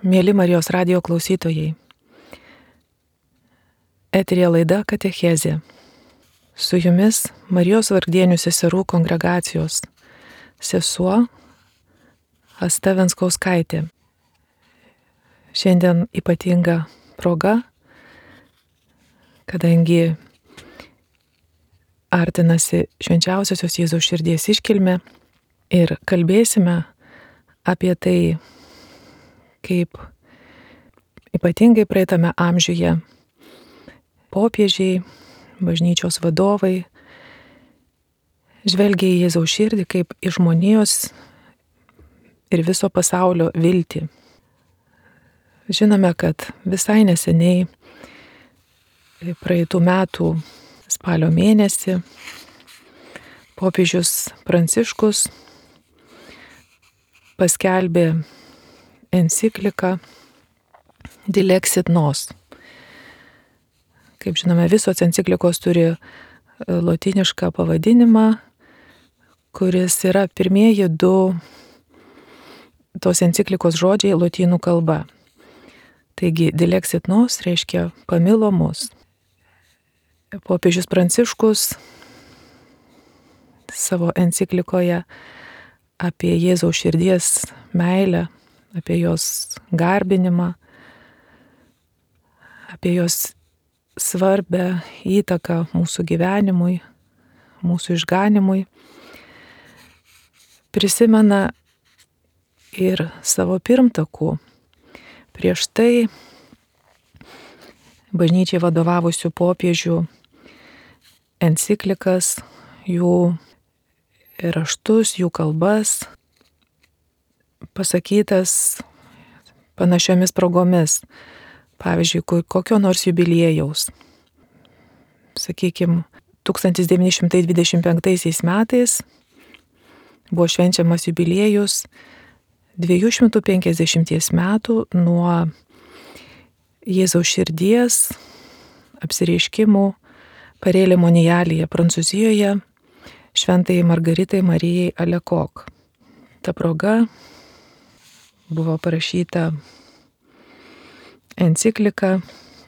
Mėly Marijos radijo klausytojai, eteryje laida Katechezė. Su jumis Marijos vargdienių seserų kongregacijos sesuo Asta Venskauskaitė. Šiandien ypatinga proga, kadangi artinasi švenčiausiosios Jėzaus širdies iškilmė ir kalbėsime apie tai, kaip ypatingai praeitame amžiuje popiežiai, bažnyčios vadovai žvelgia į Jėzaus širdį kaip į žmonijos ir viso pasaulio viltį. Žinome, kad visai neseniai, praeitų metų spalio mėnesį, popiežius Pranciškus paskelbė encikliką Dilexit Nos. Kaip žinome, visos enciklikos turi lotynišką pavadinimą, kuris yra pirmieji du tos enciklikos žodžiai lotynų kalba. Taigi, Dilexit Nos reiškia pamilo mus. Popiežius Pranciškus savo enciklikoje apie Jėzaus širdies meilę, apie jos garbinimą, apie jos svarbę įtaką mūsų gyvenimui, mūsų išganimui, prisimena ir savo pirmtakų. Prieš tai bažnyčiai vadovavusių popiežių enciklikas, jų raštus, jų kalbas, pasakytas panašiomis progomis. Pavyzdžiui, kokio nors jubiliejaus. Sakykime, 1925 metais buvo švenčiamas jubiliejus 250 metų nuo Jėzaus širdies apsireiškimų Parelė Monialyje, Prancūzijoje, šventai Margaritai Marijai Alekok. Ta proga buvo parašyta enciklika,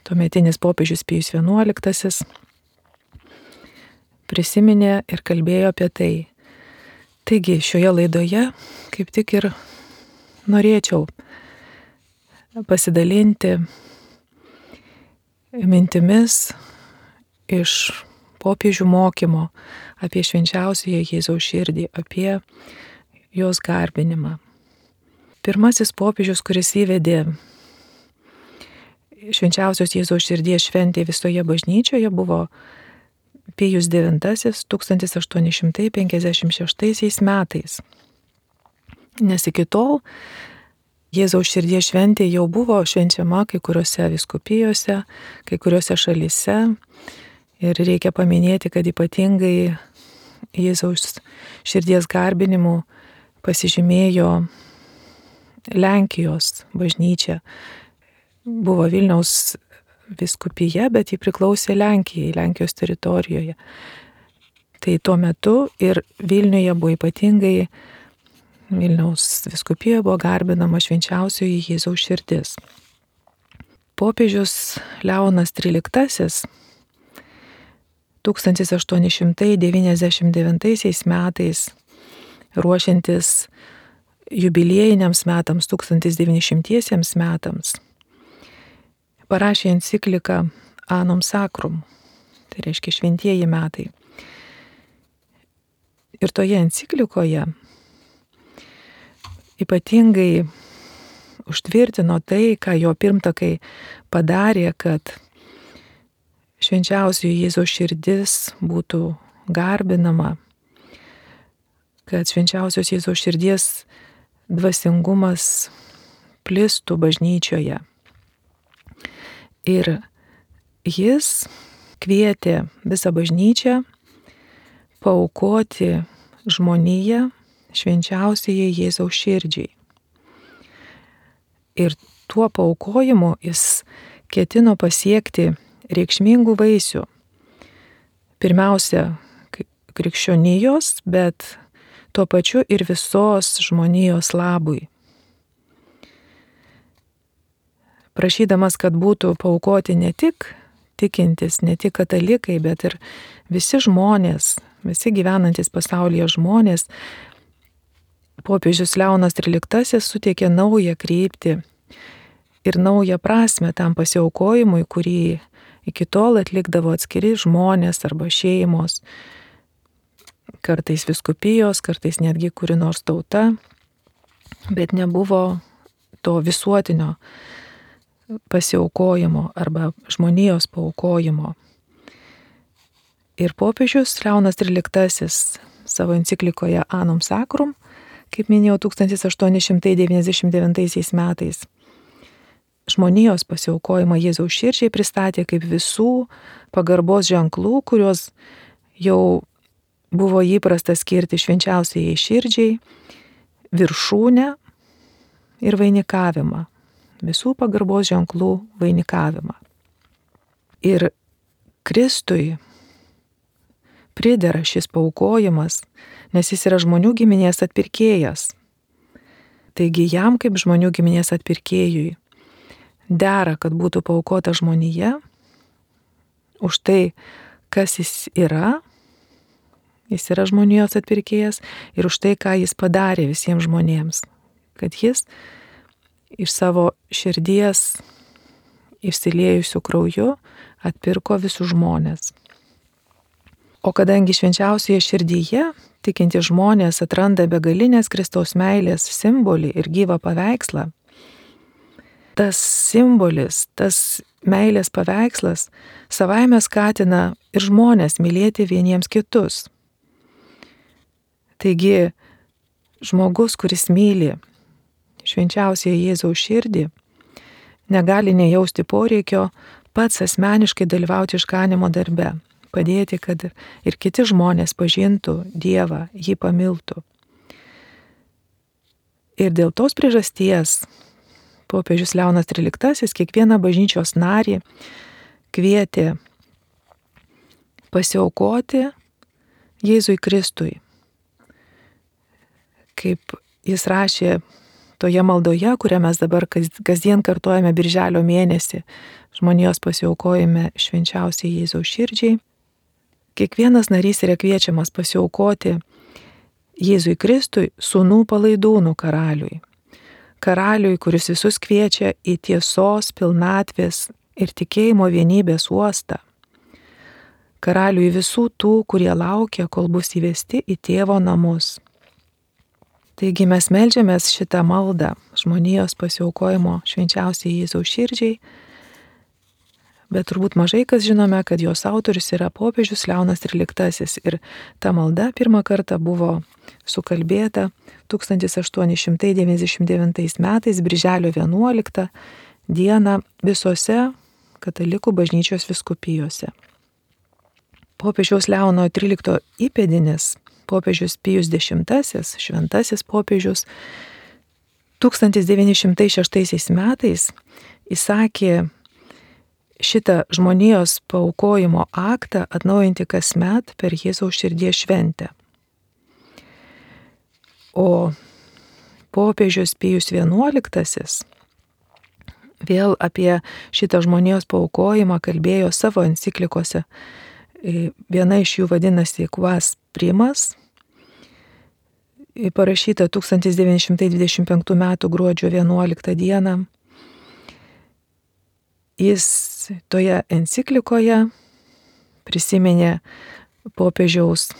tuometinis popiežius Pijus XI prisiminė ir kalbėjo apie tai. Taigi, šioje laidoje kaip tik ir norėčiau pasidalinti mintimis iš popiežių mokymo apie švenčiausiąją Jėzaus širdį, apie jos garbinimą. Pirmasis popiežius, kuris įvedė švenčiausios Jėzaus širdies šventė visoje bažnyčioje, buvo Pijus IX 1856 metais. Nes iki tol Jėzaus širdies šventė jau buvo švenčiama kai kuriuose vyskupijose, kai kuriuose šalyse. Ir reikia paminėti, kad ypatingai Jėzaus širdies garbinimu pasižymėjo Lenkijos bažnyčia. Buvo Vilniaus vyskupija, bet ji priklausė Lenkijai, Lenkijos teritorijoje. Tai tuo metu ir Vilniuje buvo ypatingai, Vilniaus vyskupijoje buvo garbinama švenčiausioji Jėzaus širdis. Popiežius Leonas XIII 1899 metais, ruošiantis jubiliejiniams metams, 1900 metams, parašė encikliką Annum Sacrum, tai reiškia šventieji metai. Ir toje enciklikoje ypatingai užtvirtino tai, ką jo pirmtakai padarė, kad švenčiausioji Jėzaus širdis būtų garbinama, kad švenčiausios Jėzaus širdies dvasingumas plistų bažnyčioje. Ir jis kvietė visą bažnyčią paaukoti žmoniją švenčiausiai Jėzaus širdžiai. Ir tuo paaukojimu jis ketino pasiekti reikšmingų vaisių. Pirmiausia, krikščionijos, bet tuo pačiu ir visos žmonijos labui. prašydamas, kad būtų paaukoti ne tik tikintis, ne tik katalikai, bet ir visi žmonės, visi gyvenantis pasaulyje žmonės, popiežius Leonas XIII suteikė naują kryptį ir naują prasme tam pasiaukojimui, kurį iki tol atlikdavo atskiri žmonės arba šeimos, kartais vyskupijos, kartais netgi kuri nors tauta, bet nebuvo to visuotinio pasiaukojimo arba žmonijos paaukojimo. Ir popiežius Leonas XIII savo enciklikoje Annum Sacrum, kaip minėjau, 1899 metais, žmonijos pasiaukojimą Jėzaus širdžiai pristatė kaip visų pagarbos ženklų, kuriuos jau buvo įprasta skirti švenčiausiai širdžiai, viršūnę ir vainikavimą. Visų pagarbos ženklų vainikavimą. Ir Kristui pridera šis paaukojimas, nes jis yra žmonių giminės atpirkėjas. Taigi jam kaip žmonių giminės atpirkėjui dera, kad būtų paaukota žmonija už tai, kas jis yra žmonijos atpirkėjas ir už tai, ką jis padarė visiems žmonėms, kad jis iš savo širdies išsiliejusių krauju atpirko visus žmonės. O kadangi švenčiausioje širdyje tikinti žmonės atranda begalinės Kristaus meilės simbolį ir gyvą paveikslą, tas simbolis, tas meilės paveikslas savaime skatina ir žmonės mylėti vieniems kitus. Taigi, žmogus, kuris myli švenčiausiąją Jėzaus širdį, negali nejausti poreikio pats asmeniškai dalyvauti išganymo darbe, padėti, kad ir kiti žmonės pažintų Dievą, jį pamiltų. Ir dėl tos priežasties popiežius Leonas XIII kiekvieną bažnyčios narį kvietė pasiaukoti Jėzui Kristui. Kaip jis rašė toje maldoje, kurią mes dabar kasdien kartojame birželio mėnesį, žmonijos pasiaukojime švenčiausiai Jėzaus širdžiai, kiekvienas narys yra kviečiamas pasiaukoti Jėzui Kristui, sūnų palaidūnų karaliui. Karaliui, kuris visus kviečia į tiesos, pilnatvės ir tikėjimo vienybės uostą. Karaliui visų tų, kurie laukia, kol bus įvesti į tėvo namus. Taigi mes meldžiamės šitą maldą žmonijos pasiaukojimo švenčiausiai Jėzaus širdžiai, bet turbūt mažai kas žinome, kad jos autorius yra popiežius Leonas XIII ir ta malda pirmą kartą buvo sukalbėta 1899 metais birželio 11 dieną visose katalikų bažnyčios vyskupijose. Popiežiaus Leono XIII įpėdinis, popiežius Pijus X, šventasis popiežius, 1906 metais įsakė šitą žmonijos paaukojimo aktą atnaujinti kasmet per Jėzaus širdies šventę. O popiežius Pijus XI vėl apie šitą žmonijos paaukojimą kalbėjo savo enciklikose. Viena iš jų vadinasi Quas Primas, parašyta 1925 m. gruodžio 11 d. Jis toje enciklikoje prisiminė popiežiaus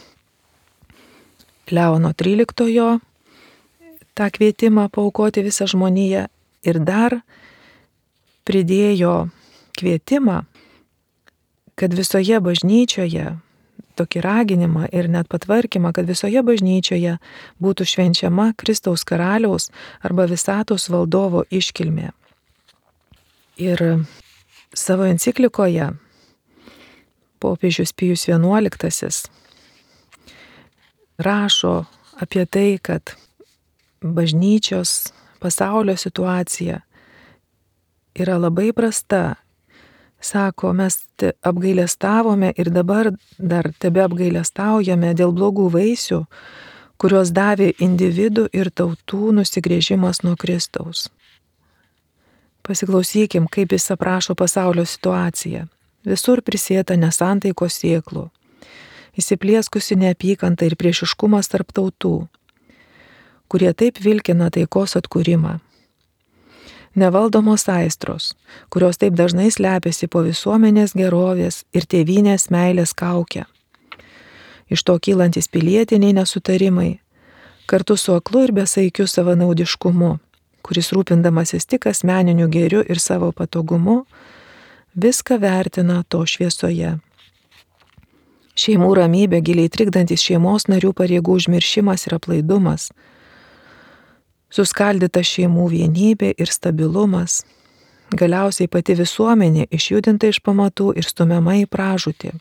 Leono XIII tą kvietimą paaukoti visą žmoniją ir dar pridėjo kvietimą, kad visoje bažnyčioje, tokį raginimą ir net patvarkymą, kad visoje bažnyčioje būtų švenčiama Kristaus karaliaus arba visatos valdovo iškilmė. Ir savo enciklikoje popiežius Pijus XI rašo apie tai, kad bažnyčios pasaulio situacija yra labai prasta. Sako, mes apgailestavome ir dabar dar tebe apgailestaujame dėl blogų vaisių, kuriuos davė individų ir tautų nusigręžimas nuo Kristaus. Pasiklausykim, kaip jis aprašo pasaulio situaciją. Visur prisėta nesantaikos sėklų, įsiplieskusi neapykanta ir priešiškumas tarp tautų, kurie taip vilkina taikos atkūrimą. Nevaldomos aistros, kurios taip dažnai slepiasi po visuomenės gerovės ir tėvynės meilės kaukę. Iš to kylantis pilietiniai nesutarimai, kartu su aklu ir besaikiu savanaudiškumu, kuris rūpindamasis tik asmeniniu gėriu ir savo patogumu, viską vertina to šviesoje. Šeimų ramybė, giliai trikdantis šeimos narių pareigų užmiršimas ir aplaidumas, suskaldyta šeimų vienybė ir stabilumas, galiausiai pati visuomenė išjudinta iš pamatų ir stumiama į pražūtį.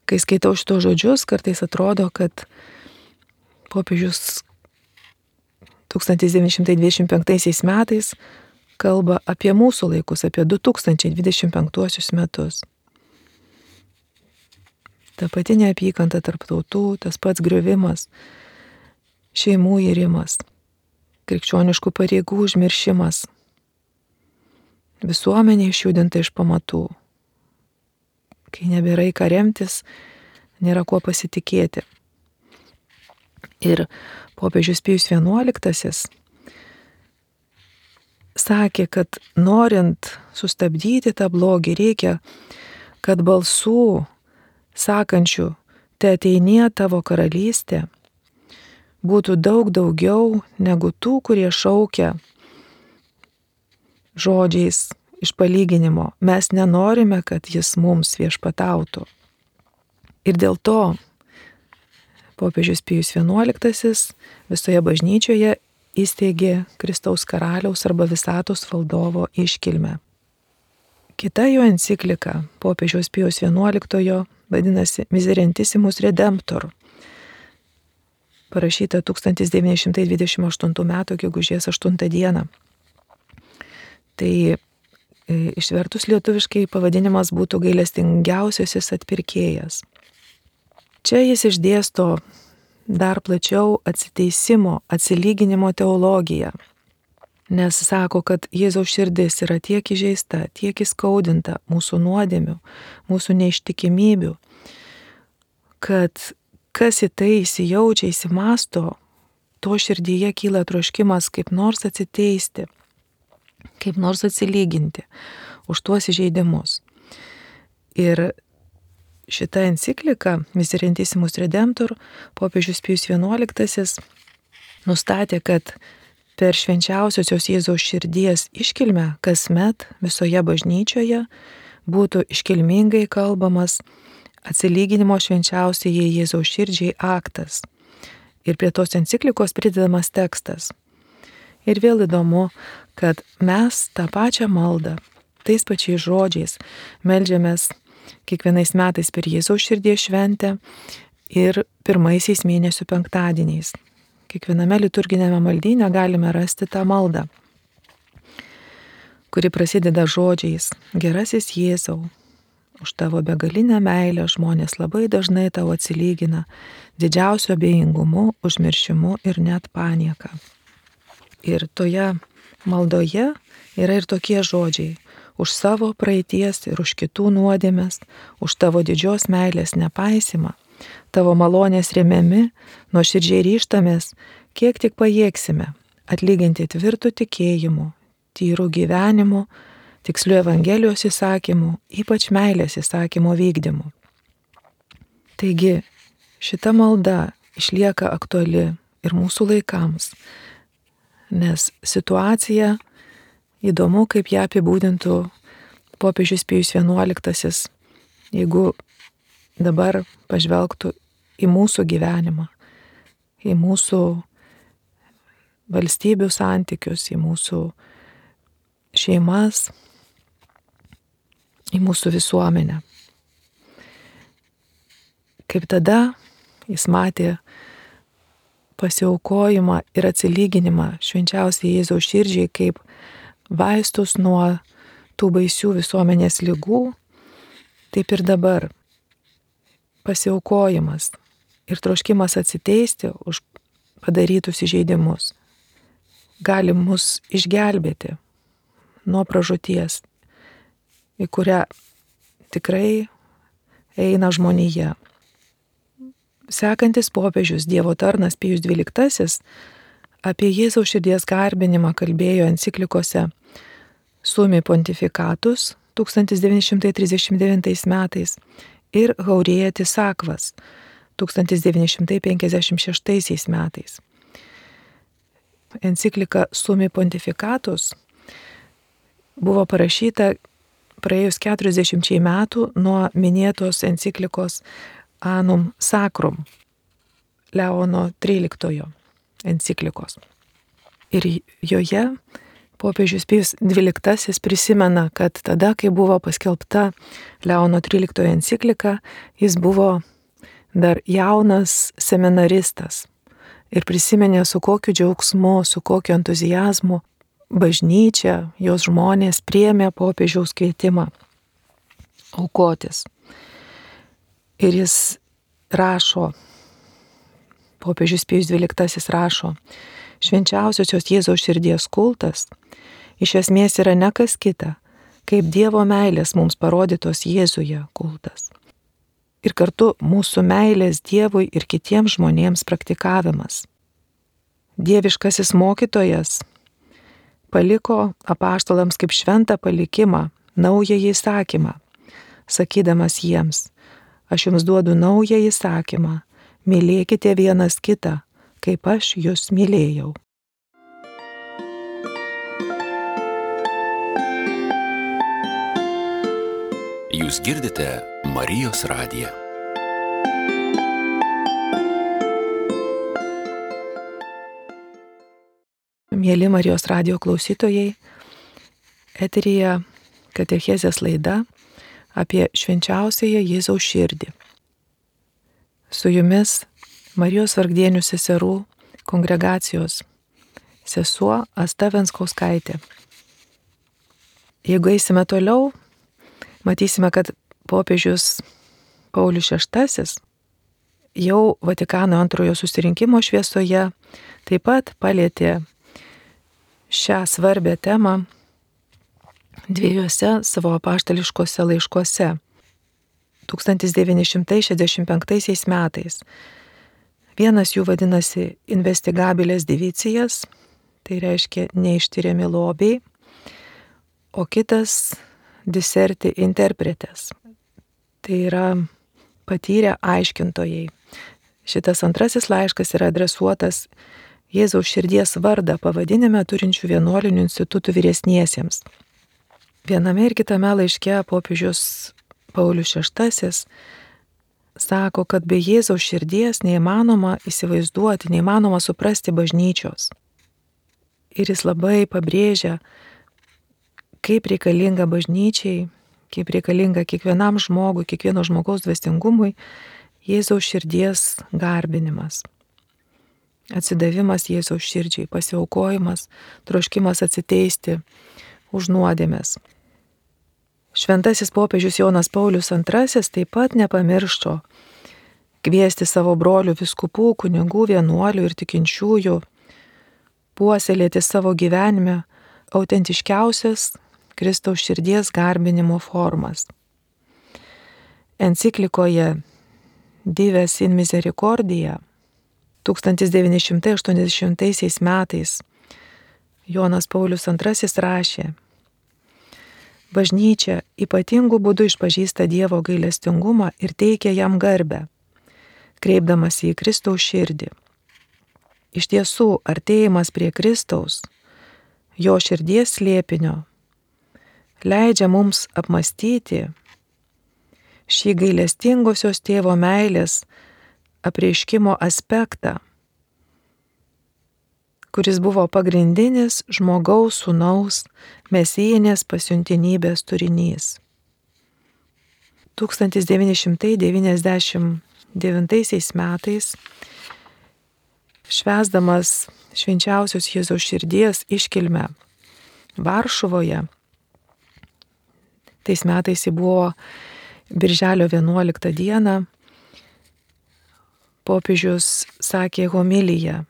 Kai skaitau šitos žodžius, kartais atrodo, kad popiežius 1925 metais kalba apie mūsų laikus, apie 2025 metus. Ta pati neapykanta tarp tautų, tas pats griovimas, šeimų irimas, krikščioniškų pareigų užmiršimas, visuomenė išjudinta iš pamatų. Kai nebėra į ką remtis, nėra kuo pasitikėti. Ir popiežius Pijus XI sakė, kad norint sustabdyti tą blogį, reikia, kad balsų sakančių, te ateinie tavo karalystė, būtų daug daugiau negu tų, kurie šaukia žodžiais iš palyginimo. Mes nenorime, kad jis mums viešpatautų. Ir dėl to popiežius Pijus XI visoje bažnyčioje įsteigė Kristaus karaliaus arba visatos valdovo iškilmę. Kita jo enciklika popiežiaus Pijaus XI vadinasi Miserentissimus Redemptor, parašyta 1928 m. gegužės 8 d. Tai išvertus lietuviškai pavadinimas būtų gailestingiausiasis atpirkėjas. Čia jis išdėsto dar plačiau atsiteisimo, atsilyginimo teologiją, nes sako, kad Jėzaus širdis yra tiek įžeista, tiek įskaudinta mūsų nuodėmių, mūsų neištikimybių, kad kas į tai įsijaučia, įsimasto, to širdyje kyla troškimas kaip nors atsiteisti, kaip nors atsilyginti už tuos įžeidimus. Ir šita enciklika Miserentissimus Redemptor popiežius Pijus XI nustatė, kad per švenčiausiosios Jėzaus širdies iškilmę kasmet visoje bažnyčioje būtų iškilmingai kalbamas atsilyginimo švenčiausiai Jėzaus širdžiai aktas. Ir prie tos enciklikos pridedamas tekstas. Ir vėl įdomu, kad mes tą pačią maldą, tais pačiais žodžiais meldžiamės kiekvienais metais per Jėzaus širdies šventę ir pirmaisiais mėnesių penktadieniais. Kiekviename liturginėme maldyne galime rasti tą maldą, kuri prasideda žodžiais: Gerasis Jėzau, už tavo begalinę meilę žmonės labai dažnai tau atsilygina didžiausiu abejingumu, užmiršimu ir net panieka. Ir toje maldoje yra ir tokie žodžiai: už savo praeities ir už kitų nuodėmes, už tavo didžios meilės nepaisimą, tavo malonės remiami, nuoširdžiai ryžtamės, kiek tik pajėgsime, atlyginti tvirtų tikėjimų, tyrų gyvenimų, tikslių Evangelijos įsakymų, ypač meilės įsakymo vykdymų. Taigi, šita malda išlieka aktuali ir mūsų laikams, nes situacija, įdomu, kaip ją apibūdintų popiežius Pijus XI, jeigu dabar pažvelgtų į mūsų gyvenimą, į mūsų valstybių santykius, į mūsų šeimas, į mūsų visuomenę. Kaip tada jis matė pasiaukojimą ir atsilyginimą švenčiausiai Jėzaus širdžiai kaip vaistus nuo tų baisių visuomenės ligų, taip ir dabar pasiaukojimas ir troškimas atsiteisti už padarytus įžeidimus gali mus išgelbėti, nuo pražūties, į kurią tikrai eina žmonija. Sekantis popiežius Dievo tarnas Pijus XII apie Jėzaus širdies garbinimą kalbėjo enciklikose Summi Pontificatus 1939 metais ir Haurietis Sakvas 1956 metais. Enciklika Summi Pontificatus buvo parašyta praėjus 40 metų nuo minėtos enciklikos Annum Sacrum Leono XIII enciklikos. Ir joje popiežius Pijus XII prisimena, kad tada, kai buvo paskelbta Leono XIII enciklika, jis buvo dar jaunas seminaristas ir prisiminė, su kokiu džiaugsmu, su kokiu entuzijazmu bažnyčia, jos žmonės priėmė popiežiaus kvietimą aukotis. Ir jis rašo, popiežius Pijus XII rašo, švenčiausiosios Jėzaus širdies kultas iš esmės yra ne kas kita, kaip Dievo meilės mums parodytos Jėzuje kultas. Ir kartu mūsų meilės Dievui ir kitiems žmonėms praktikavimas. Dieviškasis mokytojas paliko apaštalams kaip šventą palikimą naująjį įsakymą, sakydamas jiems, aš jums duodu naują įsakymą, mylėkite vienas kitą, kaip aš jūs mylėjau. Jūs girdite Marijos radiją. Mieli Marijos radijo klausytojai, eteryje katechezės laida apie švenčiausiąją Jėzaus širdį. Su jumis Marijos vargdienių seserų kongregacijos sesuo Asta Venskauskaitė. Jeigu eisime toliau, matysime, kad popiežius Paulius VI jau Vatikano antrojo susirinkimo šviesoje taip pat palietė šią svarbę temą dviejose savo apaštališkose laiškuose 1965 metais. Vienas jų vadinasi Investigabiles divicijas, tai reiškia neištiriami lobiai, o kitas Diserti interpretes, tai yra patyrę aiškintojai. Šitas antrasis laiškas yra adresuotas Jėzaus širdies vardą pavadinime turinčių vienuolinių institutų vyresniesiems. Viename ir kitame laiške popiežius Paulius VI sako, kad be Jėzaus širdies neįmanoma įsivaizduoti, neįmanoma suprasti bažnyčios. Ir jis labai pabrėžia, kaip reikalinga bažnyčiai, kaip reikalinga kiekvienam žmogui, kiekvieno žmogaus dvasingumui Jėzaus širdies garbinimas. Atsidavimas Jėzaus širdžiai, pasiaukojimas, troškimas atsiteisti už nuodėmes. Šventasis popiežius Jonas Paulius II taip pat nepamiršo kviesti savo brolių vyskupų, kunigų, vienuolių ir tikinčiųjų puoselėti savo gyvenime autentiškiausias Kristaus širdies garbinimo formas. Enciklikoje Dives in Misericordia 1980 metais Jonas Paulius II rašė: bažnyčia ypatingų būdų išpažįsta Dievo gailestingumą ir teikia jam garbę, kreipdamasi į Kristaus širdį. Iš tiesų, artėjimas prie Kristaus, jo širdies slėpinio, leidžia mums apmastyti šį gailestingosios tėvo meilės apreiškimo aspektą, kuris buvo pagrindinis žmogaus sūnaus mesijinės pasiuntinybės turinys. 1999 metais, švęsdamas švenčiausios Jėzaus širdies iškilmę Varšuvoje, tais metais ji buvo Birželio 11 dieną, popiežius sakė homiliją.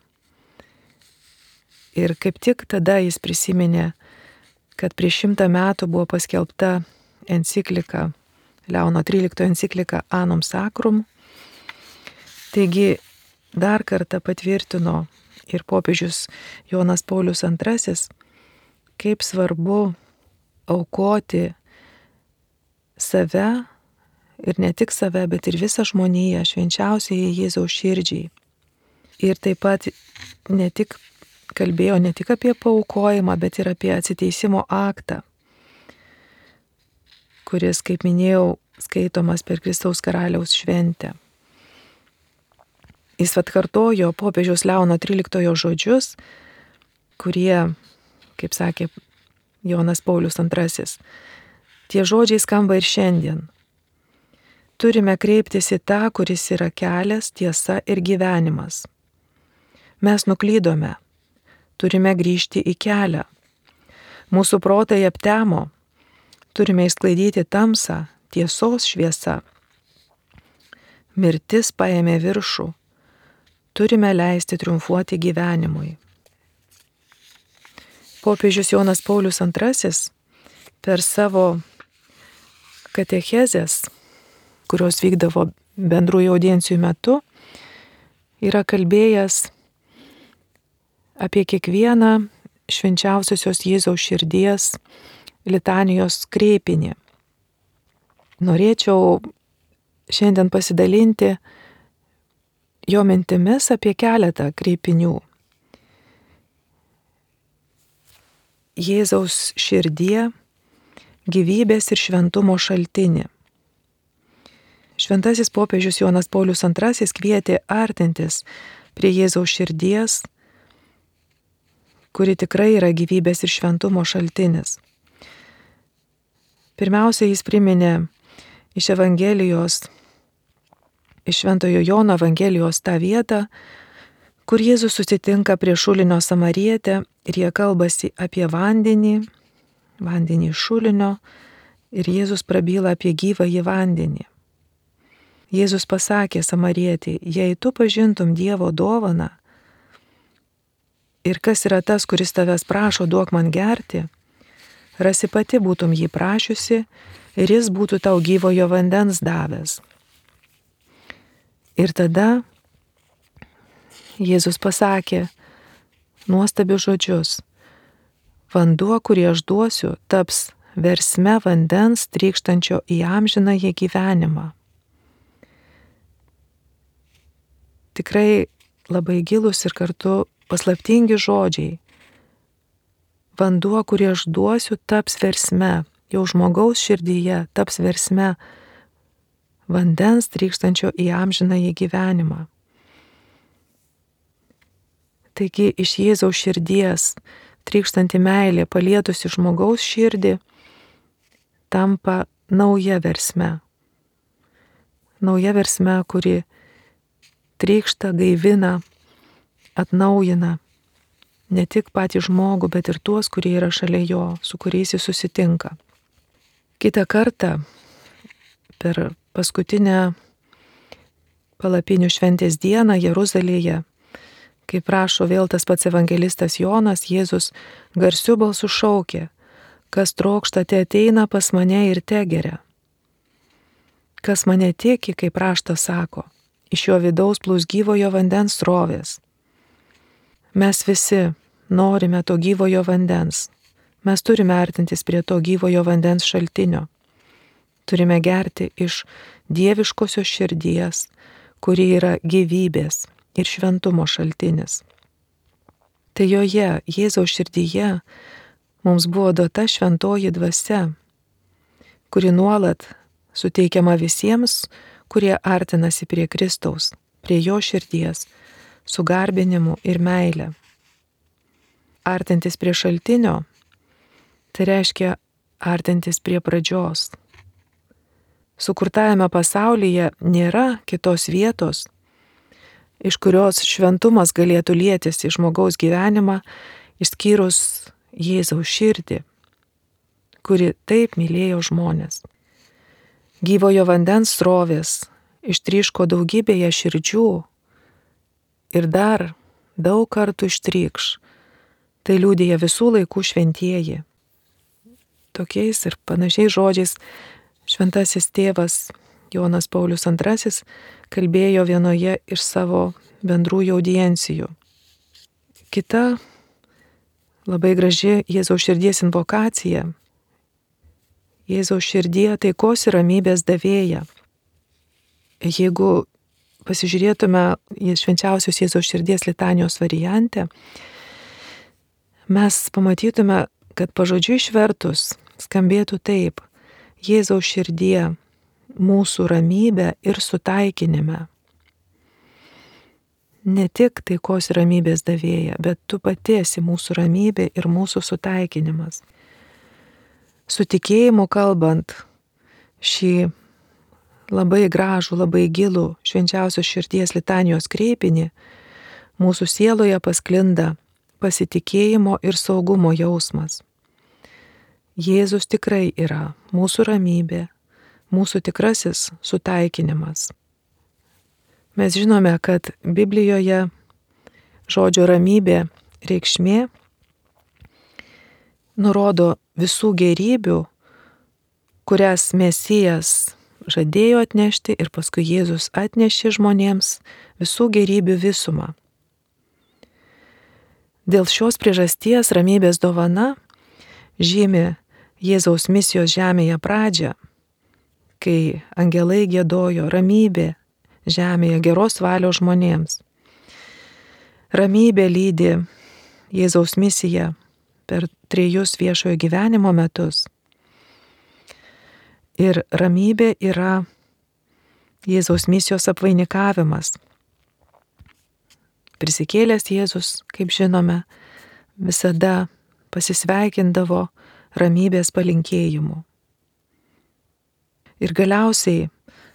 Ir kaip tik tada jis prisiminė, kad prieš 100 metų buvo paskelbta enciklika, Leono XIII enciklika Annum Sacrum. Taigi dar kartą patvirtino ir popiežius Jonas Paulius II, kaip svarbu aukoti save ir ne tik save, bet ir visą žmoniją švenčiausiai Jėzaus širdžiai. Ir taip pat kalbėjo ne tik apie paaukojimą, bet ir apie atsiteisimo aktą, kuris, kaip minėjau, skaitomas per Kristaus karaliaus šventę. Jis atkartojo popiežiaus Leono XIII žodžius, kurie, kaip sakė Jonas Paulius II, tie žodžiai skamba ir šiandien. Turime kreiptis į tą, kuris yra kelias, tiesa ir gyvenimas. Mes nuklydome, turime grįžti į kelią. Mūsų protai aptemo, turime išsklaidyti tamsą, tiesos šviesa. Mirtis paėmė viršų, turime leisti triumfuoti gyvenimui. Popiežius Jonas Paulius II per savo katechezes, kurios vykdavo bendrųjų audiencijų metu, yra kalbėjęs apie kiekvieną švenčiausiosios Jėzaus širdies litanijos kreipinį. Norėčiau šiandien pasidalinti jo mintimis apie keletą kreipinių. Jėzaus širdie, gyvybės ir šventumo šaltinį. Šventasis popiežius Jonas Paulius II kvietė artintis prie Jėzaus širdies, kuri tikrai yra gyvybės ir šventumo šaltinis. Pirmiausia, jis priminė iš Evangelijos, iš Šventojo Jono Evangelijos tą vietą, kur Jėzus susitinka prie šulinio samarietę ir jie kalbasi apie vandenį iš šulinio, ir Jėzus prabyla apie gyvąjį vandenį. Jėzus pasakė samarietei, jei tu pažintum Dievo dovaną ir kas yra tas, kuris tavęs prašo, duok man gerti, rasi pati būtum jį prašiusi ir jis būtų tau gyvojo vandens davęs. Ir tada Jėzus pasakė nuostabius žodžius. Vanduo, kurį aš duosiu, taps versme vandens trykštančio į amžinąjį gyvenimą. Tikrai labai gilus ir kartu paslaptingi žodžiai. Vanduo, kurį aš duosiu, taps versme, jau žmogaus širdyje taps versme vandens trykštančio į amžinąjį gyvenimą. Taigi iš Jėzaus širdies trykštanti meilė palietusi žmogaus širdį tampa nauja versme. Nauja versme, kuri trykšta, gaivina, atnaujina ne tik patį žmogų, bet ir tuos, kurie yra šalia jo, su kuriais jis susitinka. Kitą kartą per paskutinę palapinių šventės dieną Jeruzalėje, kaip rašo vėl tas pats evangelistas Jonas, Jėzus garsiu balsu šaukė, kas trokšta, te ateina pas mane ir te geria. Kas mane tiki, kaip raštas sako, iš jo vidaus plūs gyvojo vandens srovės. Mes visi norime to gyvojo vandens. Mes turime artintis prie to gyvojo vandens šaltinio. Turime gerti iš dieviškosios širdies, kuri yra gyvybės ir šventumo šaltinis. Tai joje, Jėzaus širdyje, mums buvo duota šventoji dvasia, kuri nuolat suteikiama visiems, kurie artinasi prie Kristaus, prie jo širdies, su garbinimu ir meile. Artintis prie šaltinio, tai reiškia artintis prie pradžios. Sukurtajame pasaulyje nėra kitos vietos, iš kurios šventumas galėtų lietis į žmogaus gyvenimą, išskyrus Jėzaus širdį, kuri taip mylėjo žmones. Gyvojo vandens srovės ištryško daugybėje širdžių ir dar daug kartų ištrykš. Tai liudija visų laikų šventieji. tokiais ir panašiais žodžiais šventasis tėvas Jonas Paulius II kalbėjo vienoje iš savo bendrųjų audiencijų. Kita labai graži Jėzaus širdies invokacija. Jėzaus širdie taikos ir ramybės davėja. Jeigu pasižiūrėtume į švenčiausios Jėzaus širdies litanijos variantę, mes pamatytume, kad pažodžiui išvertus skambėtų taip: Jėzaus širdie mūsų ramybė ir sutaikinime. Ne tik taikos ir ramybės davėja, bet tu pati esi mūsų ramybė ir mūsų sutaikinimas. Su tikėjimu kalbant šį labai gražų, labai gilų švenčiausios širdies litanijos kreipinį, mūsų sieloje pasklinda pasitikėjimo ir saugumo jausmas. Jėzus tikrai yra mūsų ramybė, mūsų tikrasis sutaikinimas. Mes žinome, kad Biblijoje žodžio ramybė reikšmė nurodo visų gėrybių, kurias Mesijas žadėjo atnešti ir paskui Jėzus atnešė žmonėms, visų gėrybių visumą. Dėl šios priežasties ramybės dovana žymi Jėzaus misijos žemėje pradžią, kai angelai giedojo ramybė žemėje geros valios žmonėms. Ramybė lydi Jėzaus misiją per 3 viešojo gyvenimo metus. Ir ramybė yra Jėzaus misijos apvainikavimas. Prisikėlęs Jėzus, kaip žinome, visada pasisveikindavo ramybės palinkėjimu. Ir galiausiai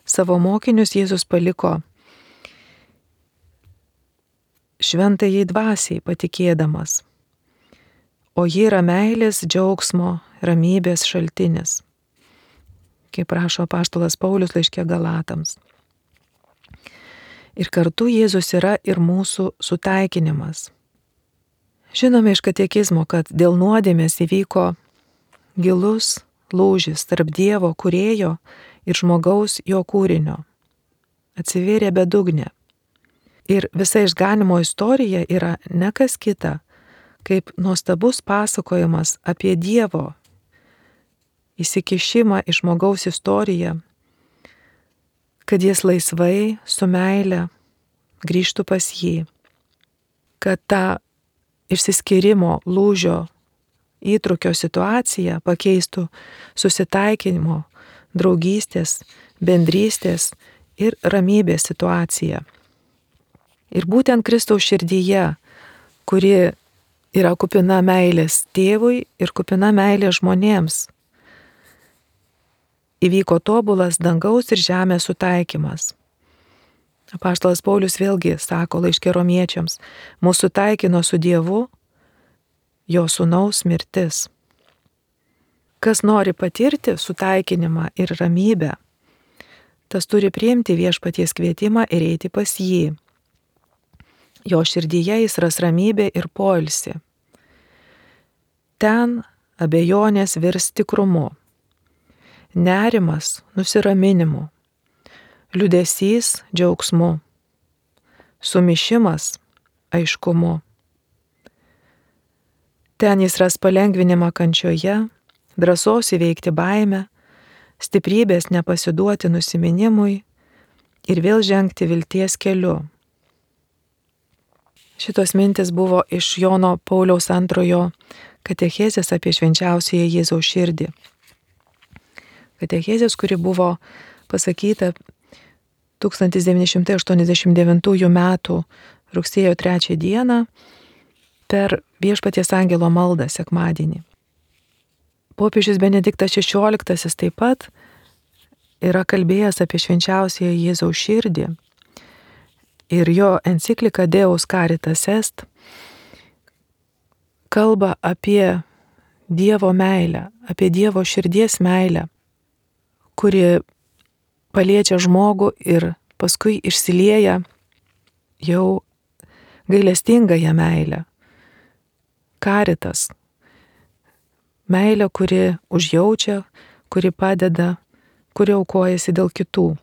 savo mokinius Jėzus paliko šventajai dvasiai patikėdamas, o ji yra meilės, džiaugsmo, ramybės šaltinis, kaip rašo apaštalas Paulius laiške Galatams. Ir kartu Jėzus yra ir mūsų sutaikinimas. Žinome iš katekizmo, kad dėl nuodėmės įvyko gilus lūžis tarp Dievo kūrėjo ir žmogaus jo kūrinio. Atsivėrė bedugnė. Ir visa išganimo istorija yra ne kas kita, kaip nuostabus pasakojimas apie Dievo įsikišimą į žmogaus istoriją, kad jis laisvai, su meile grįžtų pas jį, kad tą išsiskyrimo lūžio įtrūkio situaciją pakeistų susitaikinimo, draugystės, bendrystės ir ramybės situaciją. Ir būtent Kristaus širdyje, kuri yra kupina meilės tėvui ir kupina meilės žmonėms, įvyko tobulas dangaus ir žemės sutaikymas. Apaštalas Paulius vėlgi sako laiške Romiečiams: mūsų taikino su Dievu jo sūnaus mirtis. Kas nori patirti sutaikinimą ir ramybę, tas turi priimti viešpaties kvietimą ir eiti pas jį. Jo širdyje jis ras ramybę ir poilsį. Ten abejonės virs tikrumu, nerimas nusiraminimu, liūdesys džiaugsmu, sumišimas aiškumu. Ten jis ras palengvinimą kančioje, drąsos įveikti baimę, stiprybės nepasiduoti nusiminimui ir vėl žengti vilties keliu. Šitos mintis buvo iš Jono Pauliaus II katechezės apie švenčiausiąją Jėzaus širdį. Katechezės, kuri buvo pasakyta 1989 m. rugsėjo 3 d. per Viešpaties angelo maldą sekmadienį. Popiežius Benediktas XVI taip pat yra kalbėjęs apie švenčiausiąją Jėzaus širdį ir jo enciklika Deus Caritas Est kalba apie Dievo meilę, apie Dievo širdies meilę, kuri paliečia žmogų ir paskui išsilieja jau gailestingąją meilę. Caritas. meilę, kuri užjaučia, kuri padeda, kuri aukojasi dėl kitų.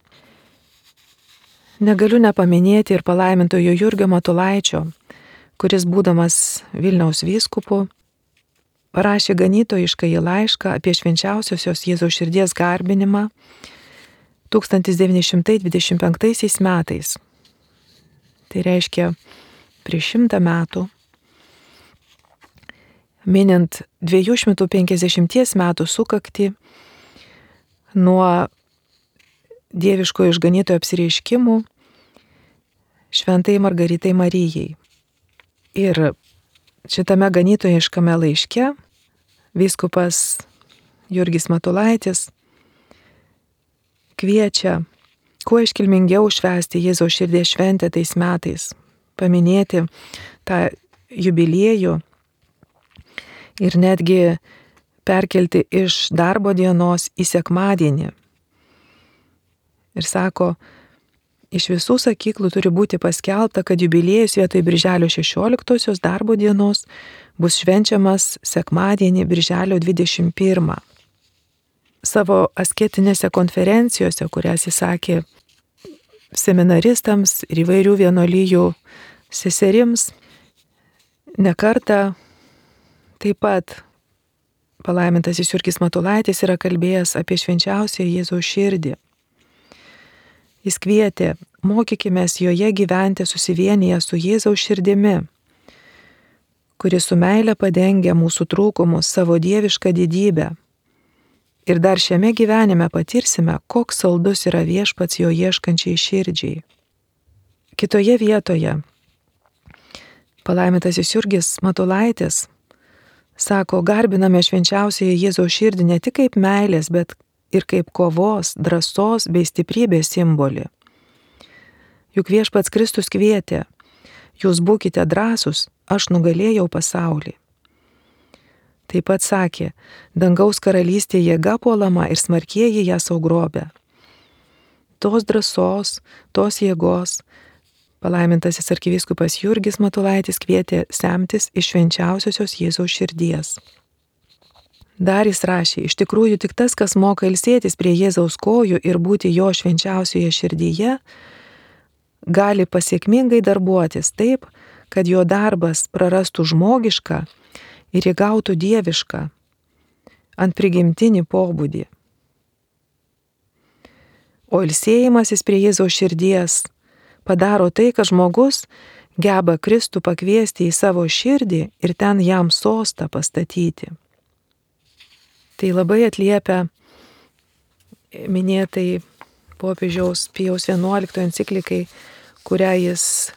Negaliu nepaminėti ir palaimintojo Jurgio Matulaičio, kuris būdamas Vilniaus vyskupu parašė ganytojiškąjį laišką apie švenčiausiosios Jėzaus širdies garbinimą 1925 metais. Tai reiškia prieš 100 metų, minint 250 metų sukaktį nuo dieviškojo išganytojo apsireiškimų šventai Margaritai Marijai. Ir šitame ganytojiškame laiške vyskupas Jurgis Matulaitis kviečia kuo iškilmingiau švęsti Jėzaus širdies šventę tais metais, paminėti tą jubiliejų ir netgi perkelti iš darbo dienos į sekmadienį. Ir sako, iš visų sakyklų turi būti paskelbta, kad jubiliejus vietoj birželio 16 darbo dienos bus švenčiamas sekmadienį birželio 21. Savo asketinėse konferencijose, kurias jis sakė seminaristams ir įvairių vienuolijų seserims, nekartą taip pat palaimintasis Jurgis Matulaitis yra kalbėjęs apie švenčiausią Jėzaus širdį. Jis kvietė, mokykimės joje gyventi susivienyje su Jėzaus širdimi, kuri su meile padengia mūsų trūkumus, savo dievišką didybę. Ir dar šiame gyvenime patirsime, koks saldus yra viešpats jo ieškančiai širdžiai. Kitoje vietoje palaimintasis Jurgis Matulaitis sako, garbiname švenčiausiąją Jėzaus širdį ne tik kaip meilės, bet ir kaip kovos, drąsos bei stiprybės simbolį. Juk viešpats Kristus kvietė, jūs būkite drąsūs, aš nugalėjau pasaulį. Taip pat sakė, dangaus karalystė jėga puolama ir smarkieji ją saugrobia. Tos drąsos, tos jėgos palaimintasis arkivyskupas Jurgis Matulaitis kvietė semtis iš švenčiausiosios Jėzaus širdies. Dar jis rašė, iš tikrųjų tik tas, kas moka ilsėtis prie Jėzaus kojų ir būti jo švenčiausioje širdyje, gali pasiekmingai darbuotis taip, kad jo darbas prarastų žmogišką ir įgautų dievišką, ant prigimtinį pobūdį. O ilsėjimasis prie Jėzaus širdies padaro tai, kad žmogus geba Kristų pakviesti į savo širdį ir ten jam sostą pastatyti. Tai labai atliepia minėtai popiežiaus Pijaus XI enciklikai, kurią jis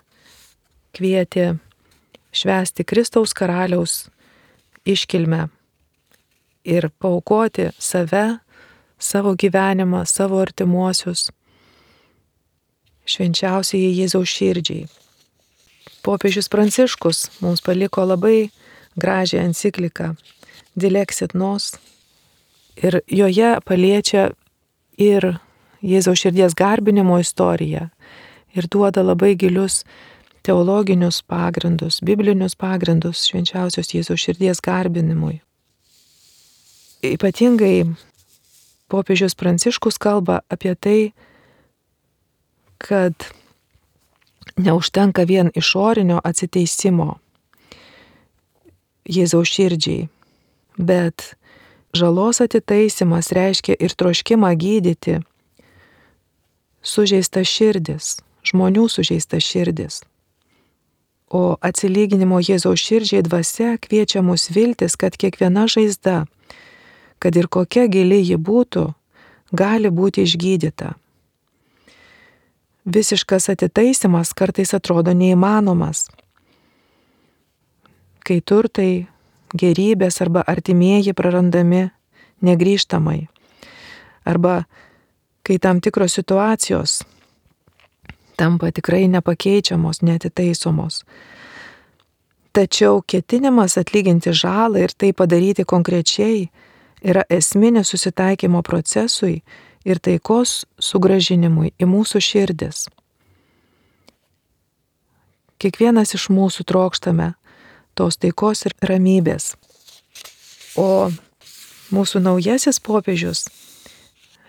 kvietė švęsti Kristaus karaliaus iškilmę ir paaukoti save, savo gyvenimą, savo artimuosius švenčiausiai Jėzaus širdžiai. Popiežius Pranciškus mums paliko labai gražią encikliką Dilexit Nos ir joje paliečia ir Jėzaus širdies garbinimo istoriją ir duoda labai gilius teologinius pagrindus, biblinius pagrindus švenčiausios Jėzaus širdies garbinimui. Ypatingai popiežius Pranciškus kalba apie tai, kad neužtenka vien išorinio atsiteisimo Jėzaus širdžiai, bet žalos atitaisimas reiškia ir troškimą gydyti sužeistas širdis, žmonių sužeistas širdis. O atsilyginimo Jėzaus širdžiai dvasia kviečia mus viltis, kad kiekviena žaizda, kad ir kokia gili ji būtų, gali būti išgydyta. Visiškas atitaisimas kartais atrodo neįmanomas, kai turtai, gerybės arba artimieji prarandami negrįžtamai, arba kai tam tikros situacijos tampa tikrai nepakeičiamos, neatitaisomos. Tačiau ketinimas atlyginti žalą ir tai padaryti konkrečiai yra esminis susitaikymo procesui ir taikos sugrąžinimui į mūsų širdis. Kiekvienas iš mūsų trokštame tos taikos ir ramybės. O mūsų naujasis popiežius,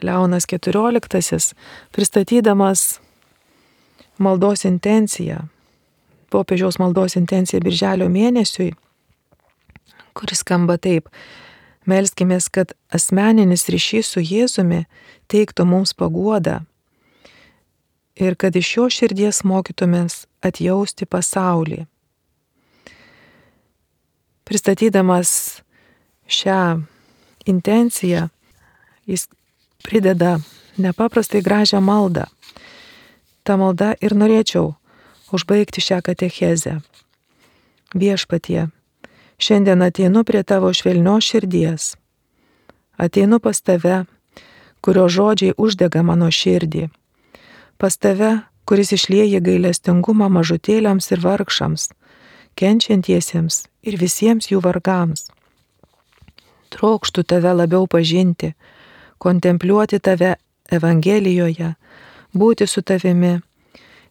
Leonas XIV, pristatydamas maldos intenciją, popiežiaus maldos intenciją birželio mėnesiui, kuris skamba taip: melskimės, kad asmeninis ryšys su Jėzumi teiktų mums paguodą ir kad iš jo širdies mokytumės atjausti pasaulį. Pristatydamas šią intenciją, jis prideda nepaprastai gražią maldą. Ta malda ir norėčiau užbaigti šią katechezę. Viešpatie, šiandien ateinu prie tavo švelnios širdies. Ateinu pas tave, kurio žodžiai uždega mano širdį. Pas tave, kuris išlieja gailestingumą mažutėliams ir vargšams, kenčiantiesiems ir visiems jų vargams. Trokštu tave labiau pažinti, kontempliuoti tave Evangelijoje, būti su tavimi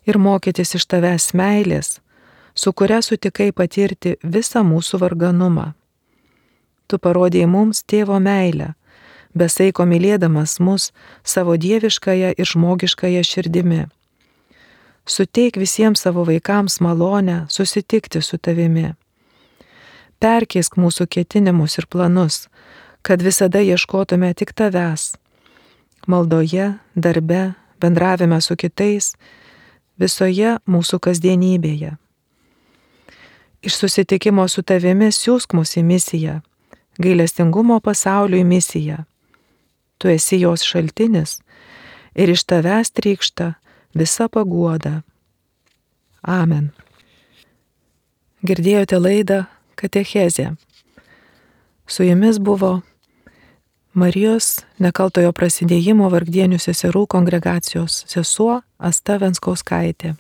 ir mokytis iš tavęs meilės, su kuria sutikai patirti visą mūsų varganumą. Tu parodėjai mums tėvo meilę, besaiko mylėdamas mus savo dieviškąją ir žmogiškąją širdimi. Suteik visiems savo vaikams malonę susitikti su tavimi. Perkeisk mūsų ketinimus ir planus, kad visada ieškotume tik tavęs. Maldoje, darbe, bendravime su kitais, visoje mūsų kasdienybėje. Iš susitikimo su tavimi siųsk mus į misiją, gailestingumo pasauliui misiją. Tu esi jos šaltinis ir iš tavęs trykšta visa paguoda. Amen. Girdėjote laidą Katechezė. Su jumis buvo Marijos Nekaltojo Prasidėjimo Vargdienių seserų kongregacijos sesuo Asta Venskauskaitė.